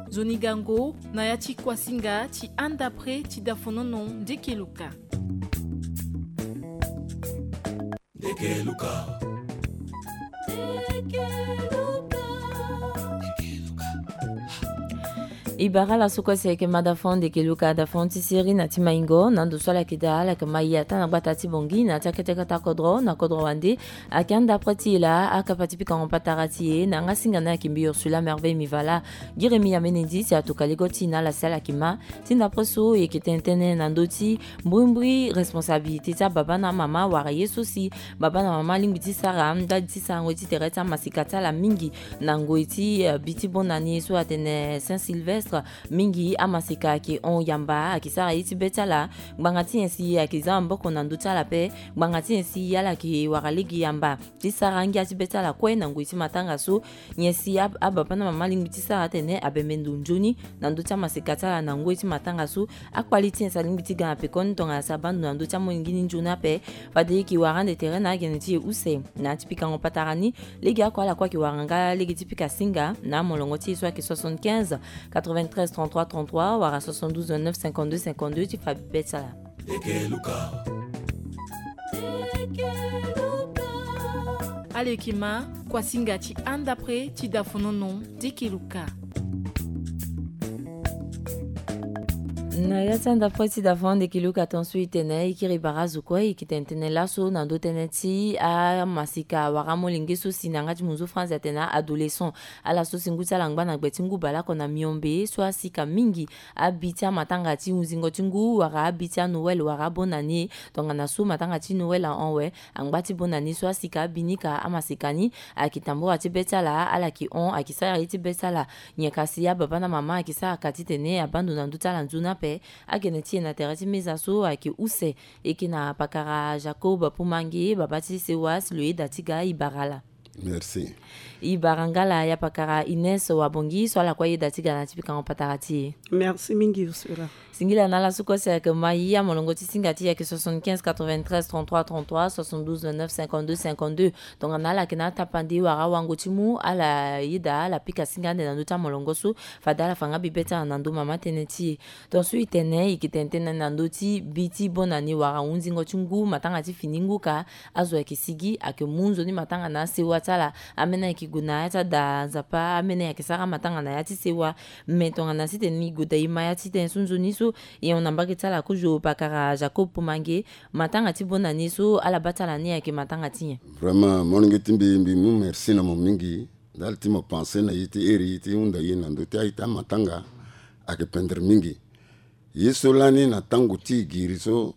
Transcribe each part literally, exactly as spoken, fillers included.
Nzoni gango na ya ti kuasinga ti anda pre ti dafonono ndekeluka. E bara ala so kue si ayeke ma dafon ndekeluka, dafon ti seri na ti maingo na ndo so ala yeke daa, ala yeke ma e ataa na gbata ti bongi na ti akete kata kodro na kodro wande. Ayeke anda pre ti e laa akapa ti pikango patara ti e na yanga singa ni ayeke mbi Ursula Merveille Mivala. Giremi amene ndi si atuka lego ti e na ala si ala yeke ma ti ndapre so e yeke tene tënë na ndö ti mbrimbri responsabilité ti ababa na amama wala ye so si baba na mama alingbi ti sara ndali ti sarango ye ti tere ti amasika ti ala mingi na ngoi ti, eh, bi ti bonane so atene Saint Sylvestre. Mingi amasika ayeke hon yamba, ayeke sara ye ti be ti ala. Ngbanga ti nyen si ayeke za maboko na ndö ti ala ape, ngbanga ti nyen si ala yeke wara lege yamba ti sara ngia ti be ti ala kue na ngoi ti matanga so. Nyen si ab- ababa na mama alingbi ti sara atene abembe ndo nzoni na ndö ti amasika ti ala na ngoi ti matanga so. Akpali ti nyen si alingbi ti ga na pekoni tongana si abaa ndo na ndö ti amolenge ni nzoni ape. Fade e yeke wara ande tere na agene ti e use na ya ti pikango patara ni. Lege oko ala kue ayeke wara nga lege ti pika singa na amolongo ti e so ayeke soixante-quinze quatre-vingt-treize trente-trois trente-trois wala soixante-douze vingt-neuf cinquante-deux cinquante-deux ti fa bi be ti ala. Alekima, kuasinga ti anda pre ti dafonono ndekeluka. Na ya ti anda pre ti dafonono ndekeluka, tonso e tene e kiri bara azo kue e yeke tene tënë laso na ndö tënë ti amasika wala amolenge so si na yanga ti munzu France atene a-adolescent. Ala so si ngu ti ala angba na gbe ti ngu baleoko na miombe so asika mingi abi ti amatanga ti hunzingo ti ngu wala abi ti a-Noël wala abonane. Tongana so matanga ti Noël ahon awe, angba ti bonane so asika abi ni ka amasika ni. Ayeke tambura ti be ti ala, ala yeke hon, ayeke sara ye ti be ti ala. Nyen ka si ababa na mama ayeke sara ka titene abaa ndo na ndö ti ala nzoni ape. Agene ti e na tere ti meza so ayeke use. E yeke na pakara Jacob Pumange, baba ti sewa si lo yeda ti ga, e bara ala. Merci. E bara nga ala ya pakara Ines Wabongi so ala kue ayeda ti ga na ya ti pikango patara ti e. Merci mingi Ursula. Singila na ala so kue si ayeke ma e, amolongo ti singa ti e ayeke soixante-quinze quatre-vingt-treize trente-trois trente-trois, soixante-douze vingt-neuf cinquante-deux cinquante-deux. Tongana ala yeke na atapande wala awango ti mu, ala yeda ala pika singa ande na ndö ti amolongo so. Fade ala fa nga bi be ti ala na ndö mama tënë ti e. Tonso e tene e yeke tene tënë na ndö ti bi ti bonane wala hunzingo ti ngu, matanga ti fini ngu ka. Azo ayeke sigi, ayeke mu nzoni matanga na asewa ti ala. Ameni ayeke gue na ya ti ada Nzapa, ameni ayeke sara matanga na ya ti sewa. Me tongana sitene e gue daa e ma ya ti tënë so nzoni so, e hon na mbage ti ala kozo pakara Jacob Pumange. Matanga ti bonane so ala baa ti ala ni ayeke matanga ti nyen? Vraiment, molenge ti mbi, mbi mu merci na mo mingi. Ndali ti mo pense na ye ti iri ti hunda ye na ndö ti aye ti amatanga ayeke pendre mingi. Ye so lani na tango ti e giri so,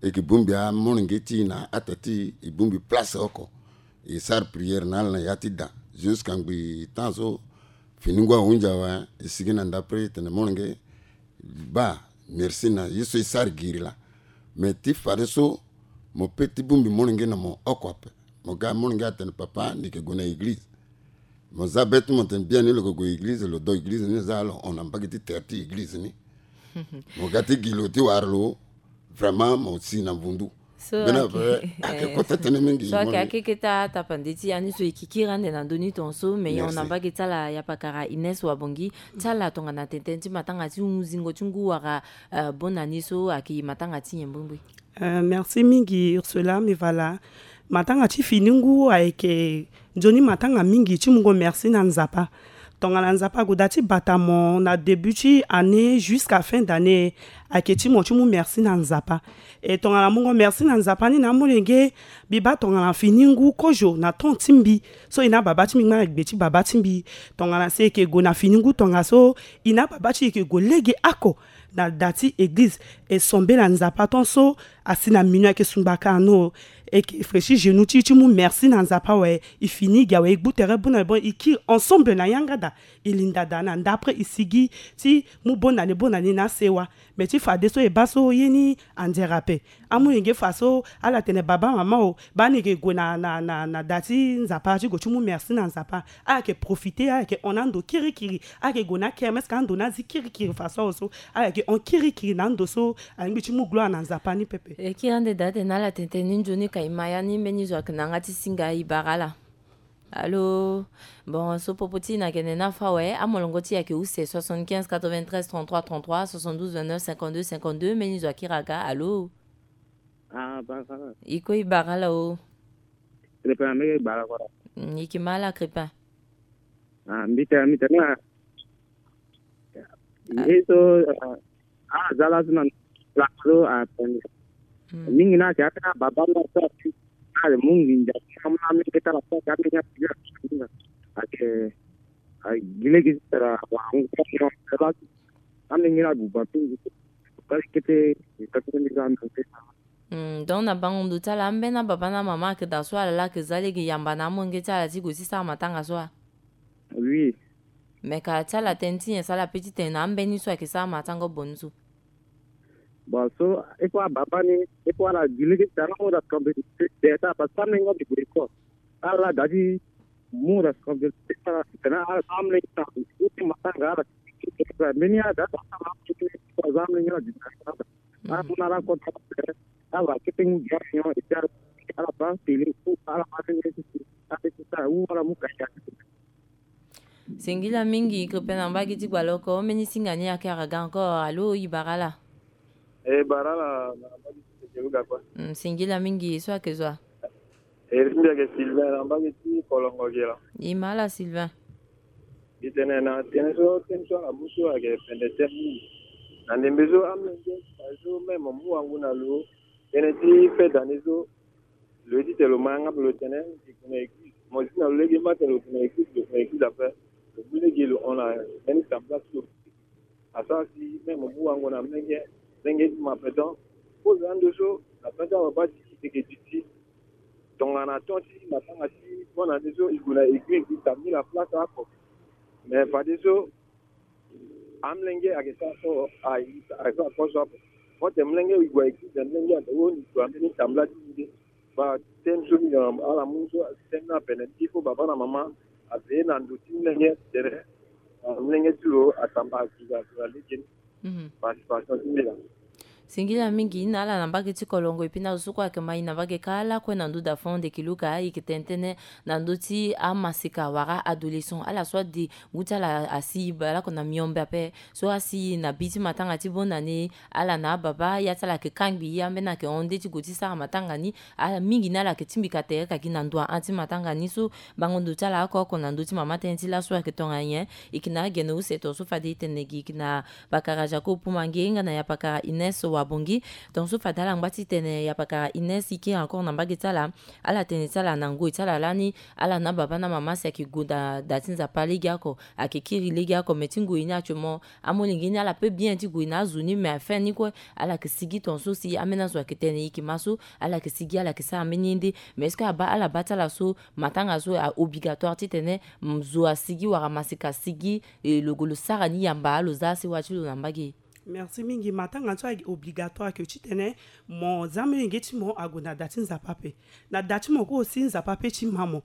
e yeke bongbi amolenge ti e na ata ti e, e bongbi place oko. E sara prière na ala na ya ti da. Jusqu'à ngbii temps so fini ngu ahunzi awe, e sigi na ndapre e tene molenge, baa, merci na ye so e sara giri laa. Me ti fadeso mo pe ti bongbi molenge na mo oko ape. Mo ga molenge atene papa, ni yeke gue na église. Mo za be ti mo tene biani lo yeke gue église, lo do église ni, za lo hon na mbage ti tere ti église ni. Mo ga ti gi lo ti wara lo, vraiment mo si na vundu. So mbeni ayeke, ayeke, eh, kota tënë mingi so ayeke akeke ti atapande ti ya ni so e yeke kiri ande na ndö ni tonso. Me e hon na mbage ti ala ya pakara Ines Wabongi. Ti ala tongana tene tënë ti matanga ti hunzingo ti ngu wala, eh, bonane so ayeke matanga ti nyen mbrimbri? Euh, merci mingi Ursula Mivala. Matanga ti fini ngu ayeke nzoni matanga mingi ti mungo merci na Nzapa. Tongana Nzapa ague daa ti bata mo na début ti année jusqu'à fin d'année, ayeke ti mo ti mu merci na Nzapa. E tongana mungo merci na Nzapa ni na amolenge, mbi baa tongana fini ngu kozo na temps ti mbi so e na baba ti mbi ngba na gbe ti baba ti mbi. Tongana si e yeke gue na fini ngu tongaso, e na baba ti e yeke gue lege oko na da ti église. E sombe na Nzapa tant so asi na minu ayeke sungbaka ano. E yeke flechi genou ti e ti mu merci na Nzapa awe. E fini gi awe, e gbu tere bona bon, e kiri ensemble na yanga da. E linda da na ndapre e sigi ti mu bonane bonane na asewa. Me ti fadeso e baa so ye ni anzere ape. Amolenge fa so ala tene baba mama o, baa ni yeke gue na, na, na, na da ti Nzapa ti gue ti mu merci na Nzapa. Ala yeke profiter, ala yeke hon na ando kirikiri. Ala yeke gue na kermesse ka ando ni azi kirikiri fa so awe so. Ala yeke hon kirikiri na ando so alingbi ti mu gloire na Nzapa ni pepe. E kiri ande daa atene ala tene tënë ni nzoni ka e ma ya ni, mbeni zo ayeke na yanga ti singa, e bara ala. Allô. Bon, so popo ti na gene na fa we amolongo ti yake use soixante-quinze quatre-vingt-treize trente-trois trente-trois, soixante-douze vingt-neuf cinquante-deux cinquante-deux, meni zo akira ga. Allô. Ah, ba, ba. Iko i bara la o. Crépin, mege bara kora. Mm, iki mala Crépin. Ah, mbita, mbita na. Ah. Eso, ah, ah, zala suna la so, ah, tende. Mm. Mingi na ti ata baba na sa ti. Ah, le mungi nja. Mama mi keta la sa ka mi ya. Ake, ah, gile gi sara wa ngu. Ami ngi na buba pingi. Kali kete, kete mi ga mi. Hmm, donc na bango ndo ti ala ambeni ababa na mama ayeke daa so ala laa ayeke za lege yamba na amolenge ti ala ti gue ti sara matanga so wa? Oui. Me ka ti ala tënë ti nyen so ala pe ti tene na ambeni so ayeke sara matanga obongo so? Bon, so, il faut ababa ni, il faut ala gi lege ti tara mo da kambe ti de ta, parce que amolenge abi gue école. Ala da ti mu responsabilité ti ala ti tene ala za amolenge ti ala ti matanga ala ti tene mbeni ala da ti tene ala za amolenge ala di tene ala. Ala mu na ala kota ala kete ngu di ala nyon et puis ala ba télé ou ala ba télé ti ala ti sara ou ala mu kaya. Singila mingi Crépin na mbage ti Gbaloko, mbeni singa ni ayeke aga encore. Allô, i bara ala? E bara ala na mbage ti Sekeluga kue. Mm, singila mingi, so ayeke zo wa? E mbi ayeke Sylvain na mbage ti Kolongo gi la. I ma ala Sylvain. Mbi tene na tënë so, tënë so ala mu so ayeke pende tënë mingi. Na ndembe so amolenge, so même mu wango na lo. Tënë ti fin d'année so, lo ye ti tene lo ma yanga ape lo tene lo gue na église. Mo zi na lo lege ma tene lo gue na église, lo gue na église ape. Lo mu lege lo hon na mbeni sambela ti lo. Asara si même mo mu wango na mlenge, mlenge ti mo ape. Donc, kozo ando so na penta baba ti yeke duti. Tongana ton ti matanga ti mo na nde so e gue na église, e tabli na place oko. Mais fadeso amlenge ayeke sara so, ayeke sara kozo ape. Mo tene mlenge e gue na église, mlenge ande wo ni gue ambeni tambula ti ni nde. Ba tënë so mbi yeke ala mu so tënë ni apene, il faut baba na mama aveiller na ndo ti mlenge ti tere, ah, mlenge ti lo asamba azuza azuza lege ni. Mhm. Participation ti mbi la. Singila mingi na ala na mbage ti Kolongo, et puis na zo so kue ayeke ma e na mbage kâ lakue na ndö da fond de kiluka, e yeke tene tënë na ndö ti amaseka wala adolescent, ala so ade ngu ti ala asi bale oko na miombe ape, so asi na bi ti matanga ti bonne année, ala na ababa, ya ti ala ayeke kangbi, ambeni ayeke hon nde ti gue ti sara matanga ni. Ala mingi ni ala yeke tingbi ka tere ka gi na ndo ahon ti matanga ni so. Bango ndo ti ala oko oko na ndö ti mama tënë ti laso ayeke tongana nyen? E yeke na agene use tongaso fade e tene gi, e yeke na pakara Jacob Pumange nga na ya pakara Ines Wabongi. Tongaso fade ala ngba ti tene ya pakara Ines e kiri encore na mbage ti ala. Ala tene ti ala na ngoi ti ala lani, ala na ababa na mama si ayeke gue da, da ti Nzapa lege oko, ayeke kiri lege oko, me ti ngoi ni actuellement amolenge ni ala pe bien ti gue na azo ni, me afin ni kue ala yeke sigi tongaso si ambeni azo ayeke tene e yeke ma so, ala yeke sigi, ala yeke sara mbeni ye nde. Mais est-ce que aba, ala ba ti ala so matanga so a obligatoire titene, mm, zo asigi wala maseka asigi, e, lo gue lo sara ni yamba lo za asewa ti lo na mbage? Merci mingi. Matanga so ayeke obligatoire que titene mo za molenge ti mo ague na da ti Nzapa ape. Na da ti mo kue aussi Nzapa ape ti ma mo.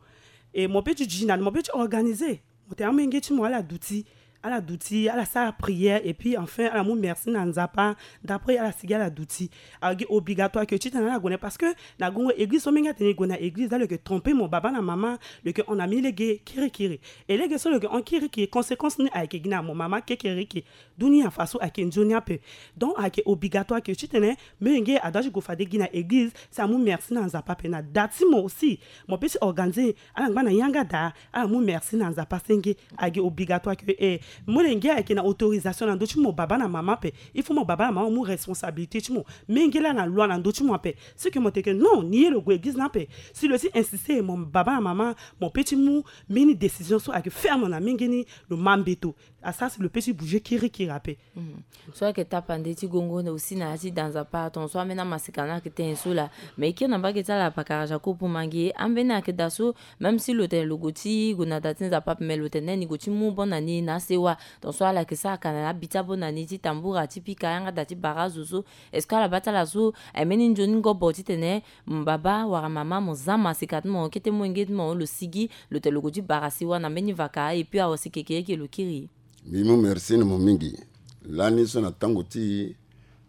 E mo pe ti duti na ni, mo pe ti organiser. Mo tene amolenge ti mo ala duti, ala duti, ala sara prière, et puis enfin ala mu merci na Nzapa. D'après ala sigi ala duti. Ayeke obligatoire que titene ala gue na, parce que na gongo église so menge atene e gue na église, da lo yeke tromper mo baba na mama, lo yeke hon na mbeni lege kirikiri. E lege so lo yeke hon kirikiri, conséquence ni ayeke gi na mo mama kekereke. Dunia faso ayeke nzoni ape. Donc ayeke obligatoire que titene molenge adoit ti gue fade gi na église si amu merci na Nzapa ape. Na da ti mo aussi, mo pe ti organiser, ala ngba na yanga da, ala mu merci na Nzapa senge. Ayeke obligatoire que, eh, molenge ayeke na autorisation na ndö ti mo baba na mama ape. Il faut mo baba na mama mo mu responsabilité ti mo. Menge laa na loi na ndö ti mo ape. Si que mo tene que non, ni ye lo gue église ni ape. Si lo ti insister, mo baba na mama, mo pe ti mu mbeni décision so ayeke ferme na menge ni, lo ma mbeto. Asara si lo pe ti bouger kirikiri ape. Mhm. So ayeke tapande ti gongo aussi na ya ti da Nzapa, tongaso ambeni amaseka ni ayeke tene so laa. Mais e kiri na mbage ti ala pakara Jacob Pumange, ambeni ayeke daa so, même si lo tene lo gue ti gue na da ti Nzapa ape, mais lo tene ni gue ti mu bonne année na asewa. Tongaso ala yeke sara kana na abi ti abonne année ti tambura, ti pika yanga da ti bara azo so. Est-ce que ala ba ti ala so, eh, mbeni nzoni ngobo titene, mm, baba wala mama mo za maseka ti mo, kete molenge ti mo lo sigi, lo tene lo gue ti bara sewa na mbeni vaka, et puis awa si kekereke lo kiri? Mbi mu merci na mo mingi. Lani so na tango ti e,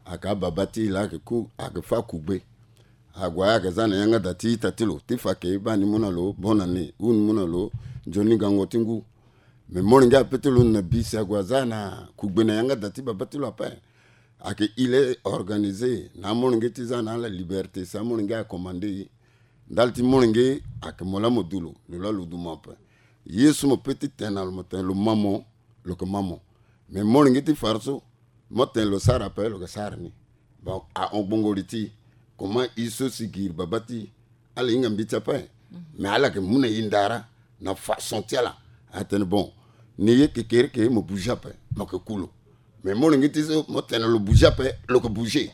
ayeke ababa ti e laa ayeke ku, ayeke fâ kugbe. Ague ayeke za na yanga da ti ita ti lo ti fa ke baa ni mu na lo bonne année ou ni mu na lo nzoni ngango ti ngu. Mais molenge ape ti lo na bi si ague aza na kugbe na yanga da ti baba ti lo ape. Ayeke il est organisé na amolenge ti za na ala liberté si amolenge acommandé ye. Ndali ti molenge ayeke mo laa mo du lo, lo laa lo du mo ape. Ye so mo pe ti tene na lo mo tene lo ma mo, lo yeke ma mo. Mais molenge ti fara so mo tene lo sara ape, lo yeke sara ni. Bon, ahon gbongo li ti comment ye so si giri baba ti ala hinga mbi ti ape. Mais ala yeke mu na e ndara na façon ti ala. Atene bon, ni ye kekereke mo bouger ape, mo yeke ku lo. Mais molenge ti so mo tene lo bouger ape, lo yeke bouger.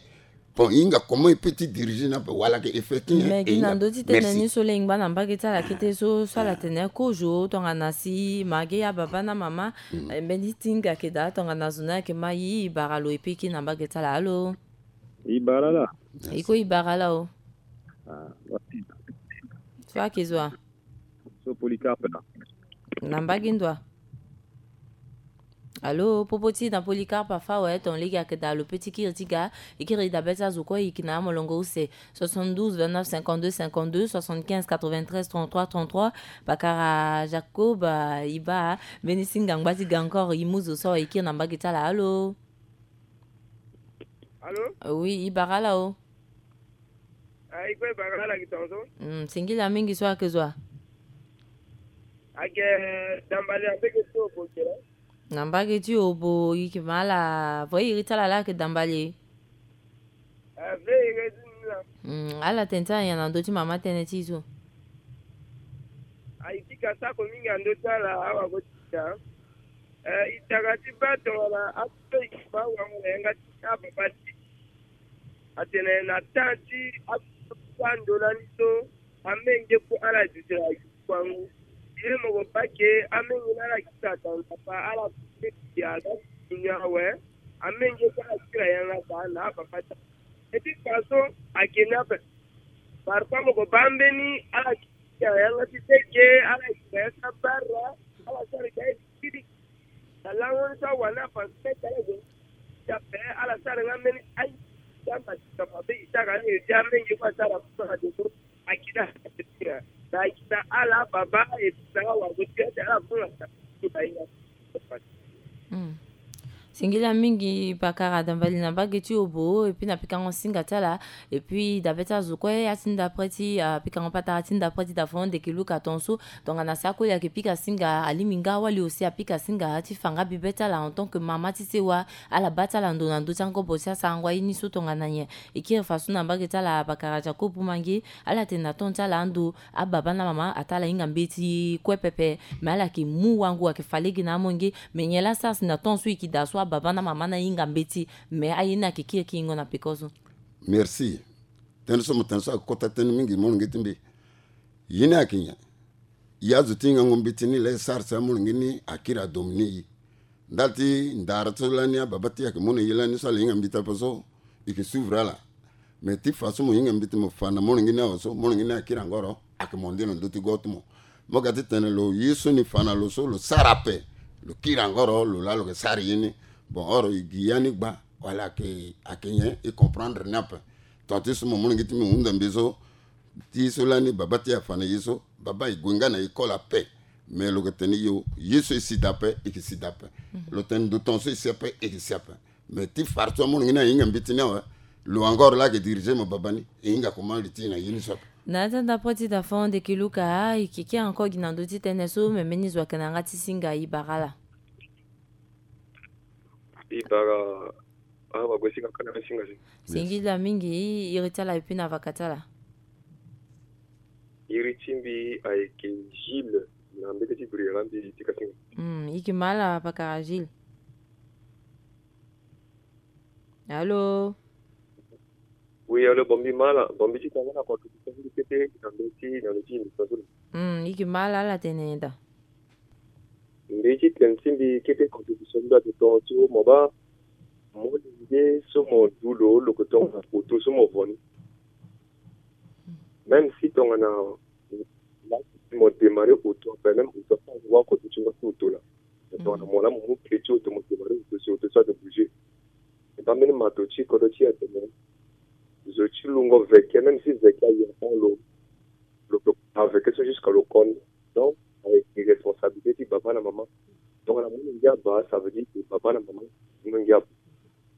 Bon, e hinga comment e pe ti diriger ni ape wala ayeke effet ti nyen? Mais e gi na hinga ndö ti tene ni so le e ngba na mbage ti ala kete so so ala tene kozo tongana si ma ge ya baba na mama. Eh, mbeni ti hinga ayeke daa tongana zo ni ayeke ma yi, e bara lo e pe kiri na mbage ti ala. Alo? E bara ala? E ko e bara ala o. Ah, so ayeke zo wa? So Polycarpe na. Na mbage ndo wa? Alo, popo ti na Polycarpe afa awe, ton lege ayeke daa lo pe ti kiri ti ga. E kiri e dabe ti azo kue e yeke na amolongo use. Soixante-douze vingt-neuf cinquante-deux cinquante-deux, soixante-quinze quatre-vingt-treize trente-trois trente-trois. Pakara Jacob, ah, e baa mbeni singa ngba ti ga encore, e mu zo so awe e kiri na mbage ti ala. Alo? Alo? Oui, e bara ala o. Ah, e kue e bara ala gi tongaso. Mm, singila mingi so ayeke zo wa? Ayeke Dambale na mbage ti Obo kele. Na mbage ti Obo, e yeke ma ala, vo iri ti ala laa ayeke Dambale. Ah, ve iri ti ni la. Mm, ala tene ti ala nyen na ndö ti mama tënë ti e so? Ah, e pika sako mingi na ndö ti ala, awago ti da. Eh, e tara ti baa tongana aso so e yeke baa wango na yanga ti ababa ti e. Atene na temps ti aso so ando lani so, amenge kue ala duti na yuku angu. Ye mo ko baa ke amenge ni ala kiri na tanga pa ala kiri ya ga ti ni awe. Amenge kue ala kiri na yanga da na ababa ti. Et puis façon ayeke ni ape. Parfois mo ko baa mbeni ala kiri na yanga ti teke, ala kiri na yanga ti abara, ala sara ga ye ti kiri. Na lango ni so awani afa ti mete ala zo ti ape, ala sara nga mbeni aye ti ambasika mabe e sara ni e ti amenge kue asara fu na deko. Akita na akita ala baba e ti sara wa ko ti ate ala fu na sa. Mm. Singila mingi pakara Dambale na mbage ti Obo, et puis na pikango singa ti ala, et puis dabe ti azo kue ya ti ndapre ti, ah, pikango patara ti ndapre ti da fo ndeke luka tongaso. Tongana si akoli ayeke pika singa, alingbi nga awali aussi apika singa ti fa nga bibe ti ala en tant que mama ti sewa, ala baa ti ala ndo na ndö ti angobo ti asarango aye ni so tongana nyen. E kiri faso na mbage ti ala pakara Jacob Mange, ala tene na temps ti ala ando, ababa na mama ataa ala hinga mbeti kue pepe, me ala yeke mu wango ayeke fa lege na amolenge. Me nyen laa sara si na temps so e yeke daa so ababa na mama ni ahinga mbeti, me aye ni ayeke kiri kiringo na peko so? Merci. Tënë so mo tene so ayeke kota tënë mingi molenge ti mbi. Ye ni ayeke nyen? E azo ti hingango mbeti ni laa e sara si amolenge ni akiri adominer e. Ndali ti ndara so lani ababa ti e ayeke mu na e lani so ala hinga mbeti ape so, e yeke suivre ala. Me ti fa so mo hinga mbeti mo fa na molenge ni awe so, molenge ni akiri angoro, ayeke monde na ndö ti go ti mo. Mo ga ti tene lo ye so ni fa na lo so lo sara ape, lo kiri angoro, lo laa lo yeke sara ye ni. Bon, oro e gi ya ni gba wala ayeke, ayeke nyen? E comprendre ni ape. Ton ti so mo molenge ti mbi hunda mbi so, ti so lani baba ti e afa na ye so, baba e gue nga na école ape. Mais lo yeke tene yo, ye so e si daa ape, e yeke si daa ape. Lo tene ndo ton so e si ape, e yeke si ape. Mais ti fara so amolenge ni ahinga mbeti ni awe, lo encore laa ayeke diriger mo baba ni, e hinga comment li ti e na ye ni so ape. Na ya ti andapre ti da fond eke luka, e yeke kiri encore gi na ndö ti tënë so, me mbeni zo ayeke na yanga ti singa, e bara ala. E bara, ah, wago ti kaka na singa si. Singila mingi, iri ti ala et puis na vaka ti ala. Iri ti mbi ayeke Gilles, na mbage ti Bruyère mbi ti ka singa. Hmm, e yeke ma ala pakara Gilles. Allô? Oui, allô, bon mbi ma ala, bon mbi ti tanga na contribution ti mbi kete na ndö ti, na ndö ti émission so. Hmm, e yeke ma ala, ala tene daa. Mbi ti tene ti mbi kete contribution mbi ate tonga ti mo baa molenge so mo du lo, lo yeke tongana auto so mo vo ni. Même si tongana mo démarrer auto ape, même auto ape, wa kodro ti ngba ti auto laa. Tongana mo laa mo mu clé ti auto mo démarrer auto si auto so ate bouger. E baa mbeni mato ti kodro ti e atene Zo ti lungo veke, même si veke aye avant lo, lo, lo aveke so jusqu'à lo koni. Donc ayeke responsabilité ti baba na mama. Donc na molenge aba, ça veut dire que baba na mama molenge aba.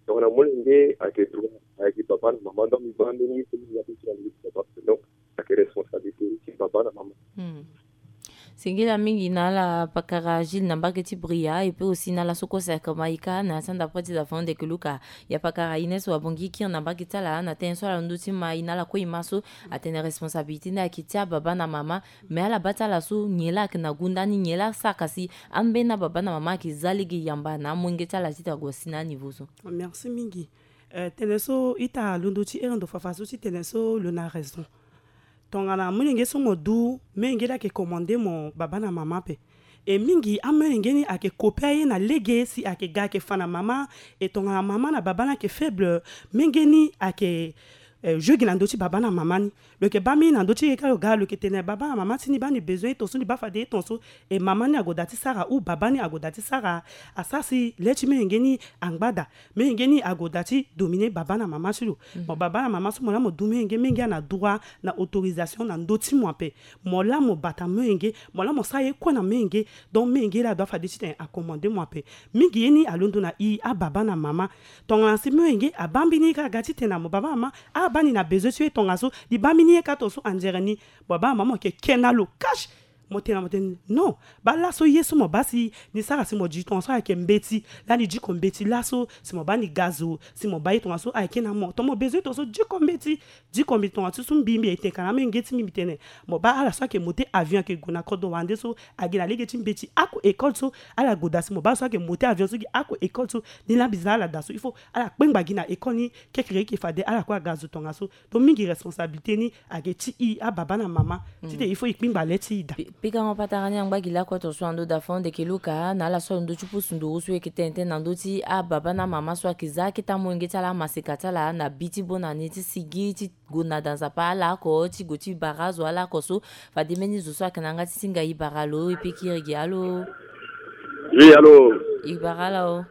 Donc na molenge ayeke droit, ayeke baba na mama. Donc mi baa mbeni ye so mi ya ti na ndö ti baba. Donc ayeke responsabilité ti baba na mama. Singila mingi na ala pakara Gilles na mbage ti Bria, et puis aussi na ala so kue si ayeke maïka na sanda près ti da fond de keluka. Ya pakara Ines Wabongi kiri na mbage ti ala na tënë so ala ndö ti ma e na ala kue e ma so atene responsabilité ni ayeke ti ababa na mama. Mais ala baa ti ala so nyen laa ayeke na gunda ni, nyen laa asara ka si ambeni ababa na mama ayeke za lege yamba na amolenge ti ala ti ta gue si na aniveau so. Merci mingi. Eh, tene so ita londo ti ere ndo fafa so ti tene so lo na raison. Tongana molenge so mo du, molenge ni ayeke commande mo baba na mama ape. E mingi amolenge ni ayeke kope aye na lege si ayeke ga ayeke fa na mama. E tongana mama na baba ni ayeke faible, molenge ni ayeke eh, jeu gi na ndö ti baba na mama ni. Lo yeke baa mbeni na ndö ti ye ka lo ga lo yeke tene baba na mama ti ni baa ni besoin ye tongaso, ni baa fade ye tongaso. E mama ni ague daa ti sara ou baba ni ague daa ti sara. Asara si le ti molenge ni angba daa. Molenge ni ague daa ti dominer baba na mama ti lo. Mo baba na mama so mo laa mo du molenge, molenge ana droit na autorisation na ndö ti mo ape. Mo laa mo bata molenge, mo laa mo sara ye kue na molenge. Donc molenge laa adoit fade titene acommande mo ape. Mingi ye ni alondo na i ababa na mama. Tongana si molenge abaa mbeni ye ka aga titene na mo baba na mama, abaa ni na besoin ti ye tongaso, ni baa mbeni ye ka tongaso anzere ni. Mo baba na mama mo yeke ke na lo cash. Mo tene na mo tene non. Baa laso ye so mo baa si ni sara si mo di tongaso ayeke mbeti. Laa ni diko mbeti laso si mo baa ni gazo, si mo baa ye tongaso ayeke na mo. Tongana mo besoin tongaso diko mbeti. Diko mbi tongaso so mbi mbi eteka na amolenge ti mbi mbi tene. Mo baa ala so ayeke monté avion ayeke gue na kodro wande so, agi na lege ti mbeti ako école so. Ala gue daa si mo baa ala so ayeke monté avion so gi ako école so. Ni laa mbi za ala daa so il faut ala kpengba gi na école ni. Kekereke fade ala kue aga zo tongaso. Donc mingi responsabilité ni ayeke ti i ababa na mama. Titene il faut i kpingba le ti i daa. Pikango patara ni angba gi lakue tongaso na ndo daa fo ndeke luka na ala so alondo ti pusu nduru so e yeke tene tënë na ndö ti ababa na mama so ayeke za akete amolenge ti ala, amaseka ti ala na bi ti bona ni ti sigi ti gue na da nzapa ala oko ti gue ti bara azo ala oko so. Fade mbeni zo so ayeke na yanga ti singa e bara lo e pe kiri gi. Alo. Oui, alo. E bara ala o.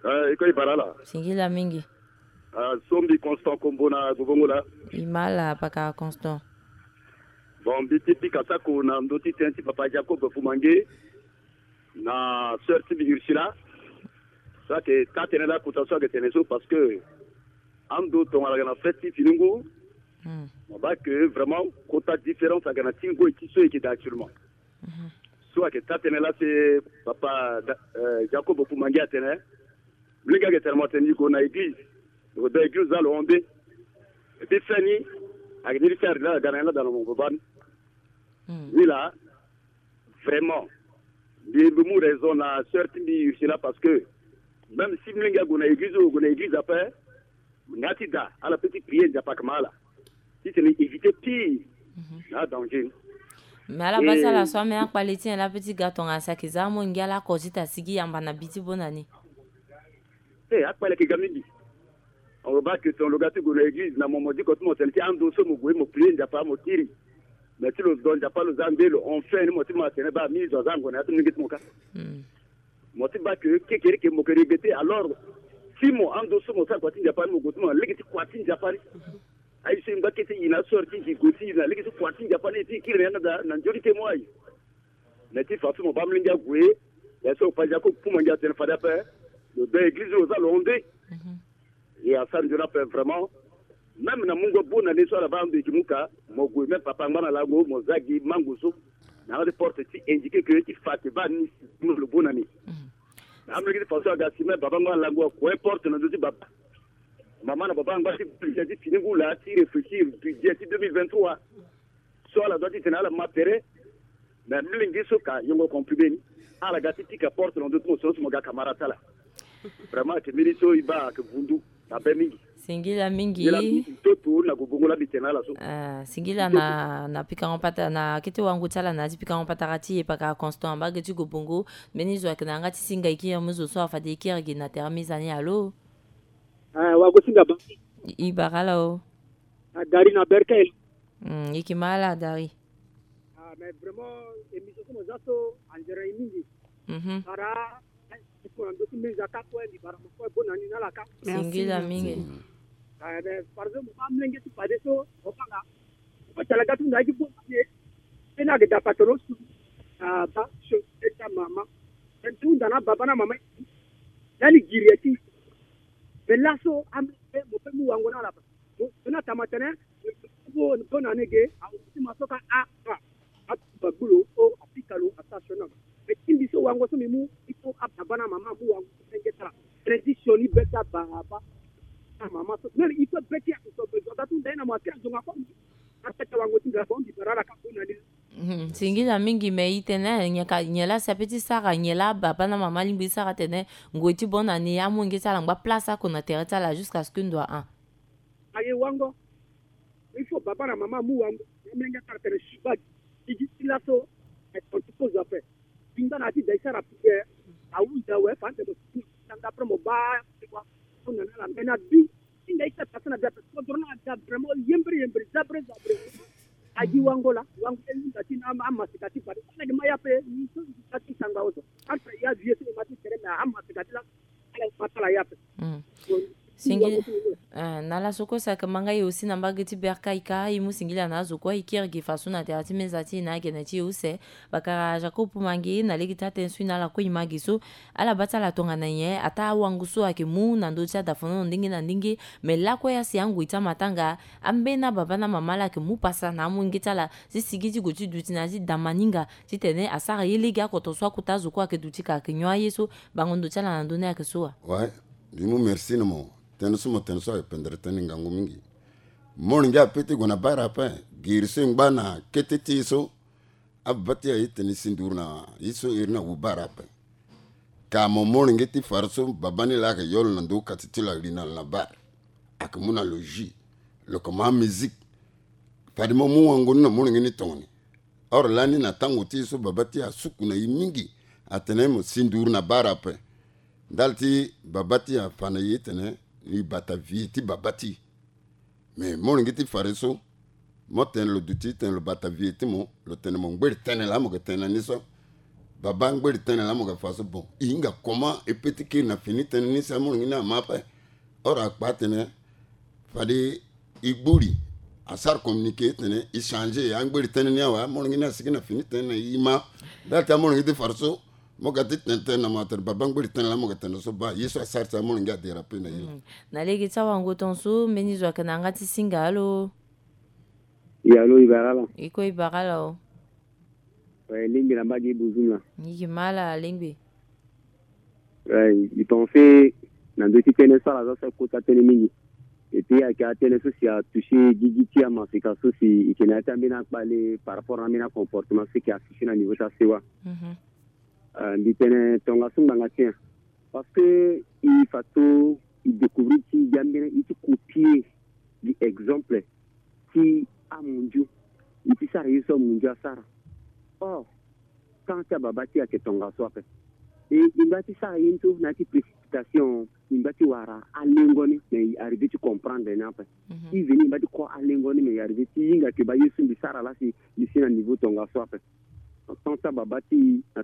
Eh, e ko e bara ala. Singila mingi. Ah, so mbi Constant Kombo na Gobongo laa. E ma ala pakara Constant. Bon, mbi ti pika sako na ndö ti tënë ti papa Jacob Fumange na sœur ti mbi Ursula. So ayeke taa tënë laa kota so ayeke tene so parce que ando tongana ayeke na fête ti fini ngu. Mo baa que vraiment kota différence ayeke na ti ngoi ti so e yeke daa actuellement. So ayeke taa tënë laa si papa Jacob Fumange atene. Mbi lege ayeke tene mo atene ni gue na église. Ni gue daa église za lo hon nde. Et puis fin ni ayeke ni li ti ari laa aga na ni laa daa na mo baba ni. Ni laa vraiment mbi mbi mu raison na sœur ti mbi Ursula parce que même si mbi lenge ague na église o gue na église ape. Nga ti daa ala pe ti prier Nzapa ayeke ma ala titene éviter pire na adanger ni. Mais ala baa ti ala so ambeni akpale ti nyen laa pe ti ga tongana si ayeke za amolenge ala oko ti ta sigi yamba na bi ti bona ni. Eh, akpale ayeke ga mingi. Alo baa que tongana lo ga ti gue na église na mo mo diko ti mo tene ti ando so mo gue mo prier Nzapa mo kiri. Mais ti lo zo Nzapa lo za nde lo hon fin ni mo ti mo atene baa mi zo aza ango na ya ti molenge ti mo kâ. Mo ti baa que kekereke mo yeke regretter alors. Si mo ando so mo sara kua ti Nzapa ni mo gue ti mo na lege ti kua ti Nzapa ni. Aye so e ngba kete e na asore ti e gue ti e na lege ti kua ti Nzapa ni e ti e kiri na yanga daa na nzoni te mo aye. Mais ti fa so mo baa molenge ague. Ya so opa Jacob Fumange atene fade ape. Lo daa église lo za lo hon nde. E asara nzoni ape vraiment. Même na mungo bonne année so ala baa ando e yeke mu ka mo gue même papa angba na lango mo za gi mango so. Na yanga ti porte ti indiquer que ti fa ayeke baa ni si lo bonne année. Na amolenge ti fa so aga si même baba angba na lango akue porte na ndö ti baba. Mama na baba angba ti budget ti fini ngu laa ti réfléchir budget ti deux mille vingt-trois. So ala doit ti tene ala ma tere. Mais mbi lingbi so ka yongo comprimé ni. Ala ga ti pika porte na ndö ti mo so mo ga camarade ti ala. Vraiment ayeke mbeni so e baa ayeke vundu. Abe mingi. Singila mingi. Ntoto na gobongo la mbi tene ala so. Ah, singila na na pikango patara na kete wango ti ala na ya ti pikango patara ti e pakara Constant mbage ti gobongo. Mbeni zo ayeke na yanga ti singa e kiri mu zo so afade e kiri gi na tere mizani. Alo. Ah, wango singa ba. E bara ala o. Adari na berkel. Mm, e yeke ma ala Adari. Ah, mais vraiment émission so mo za so anzere e mingi. Mhm. Bara. Singila mingi. Par exemple, mama mlenge ti fade so, obanga. Ko tala gatu nda gi bo ye. Pena ge da patoro su. Ah, ba, so, eta mama. En tu nda na baba na mama. Lani giri eti. Be laso, am, be, mo pe mu wango na la. Mo, na tama tene, bo, bo na nege, a, ti ma so ka, a, a. A, ba gulo, o, a pika lo, a sa so na. Mais ti mbi so wango so mbi mu, il faut ababa na mama mu wango so menge tara. Tradition ni be ti ababa na mama so. Même il faut be ti azo so be zo gatu nda na mo ati azo nga ko. A peta wango ti nga ko mbi bara la ka ko na ni. Mhm. Singila mingi, mais i tene nyen ka, nyen la si ape ti sara, nyen la baba na mama alingbi ti sara tene ngoi ti bonne année amolenge ti ala angba place oko na tere ti ala jusqu'à ce que ndo a. Aye wango. Il faut baba na mama amu wango. Amolenge ti ala tene suba gi gi ti laso. Aye tontu kozo ape. Tinga na ti da ti sara prière. Ahunda we fa ande mo ti tanga après mo baa ti wa. Mo na na la mena bi. Tinga ti sara pasa na bi ape. Kodro na da vraiment yembre yembre zabre zabre. Agi wango la wango e hunda ti na amasika ti fade. Ala gi ma ya ape ni so ti sangba oso. Entre ya vie so e ma ti tere na amasika ti la. Ala gi ma tala ya ape. Mm. Bon. Singila. Ah, na laso kue saka ma nga ye aussi na mbage ti berka ika, i mu singila na azo kue i kiri gi faso na tere ti meza ti e na agene ti e use. Bakara Jacob Mange na lege ti atene so i na ala kue i ma gi so. Ala baa ti ala tongana nyen ataa awango so ayeke mu na ndö ti adafonono ndenge na ndenge. Me lakue asi angoi ti amatanga. Ambeni ababa na mama ala yeke mu pasa na amolenge ti ala ti sigi ti gue ti duti na ya ti damaninga. Titene asara ye lege akoto so akota azo kue ayeke duti ka ayeke nyon aye so. Bango ndo ti ala na ndö ni ayeke so wa. Ouais. Mbi mu merci na mo. Tënë so mo tene so ayeke pendere tënë ngangu mingi. Molenge ape ti gue na bara ape. Giri so e ngba na kete ti e so. Ababa ti e aye tene e si nduru na ye so iri na wu bara ape. Ka mo molenge ti fara so baba ni laa ayeke yo lo na ndo kati ti lo ali na lo na bara. Ayeke mu na lo jus. Lo yeke mu amusique. Fade mo mu wango ni na molenge ni tongoni. Or lani na tango ti e so baba ti e asuku na e mingi. Atene mo si nduru na bara ape. Ndali ti baba ti e afa na e tene e bata vie ti baba ti e. Me molenge ti fade so, mo tene lo duti tene lo bata vie ti mo, lo tene mo ngberi tënë laa mo yeke tene na ni so. Baba ngberi tënë laa mo yeke fa so bon. E hinga comment e pe ti kiri na fini tënë ni si amolenge ni ama ape. Or akpa atene fade e gbuli asara communiqué tene e changé angberi tënë ni awe, amolenge ni asigi na fini tënë na e ma. Ndali ti amolenge ti fade so, mo ga ti tene tënë na mo atene baba ngberi tënë laa mo ga tene so baa ye so asara ti amolenge adérape na e. Mm. Na lege ti awango tongaso mbeni zo ayeke na yanga ti singa alo. Ya alo, e bara ala. E kue e bara ala o. Ouais, lingbi na mbage e bozum na. E yeke ma ala lingbi. Ouais, e pense na ndö ti tënë so ala za so akota tënë mingi. Et puis ayeke atënë so si atouché gigi ti amasika so si e yeke na ya ti ambeni akpale par rapport na ambeni acomportement so e yeke affiché na niveau ti asewa. Mhm. Ah, mbi tene tongaso ngbanga ti nyen? Parce que e fa so e découvrir ti gi ambeni e ti copier gi exemple ti amundio. E ti sara ye so amundio asara. Or temps ti ababa ti e ayeke tongaso ape. E e ngba ti sara ye ni so na ya ti précipitation. E ngba ti wara alengo ni, mais e arrivé ti comprendre ni ape. Mhm. E veni e ngba ti ko alengo ni, mais e arrivé ti hinga ke baa ye so mbi sara laa si mbi si na niveau tongaso ape. Temps ti ababa ti e na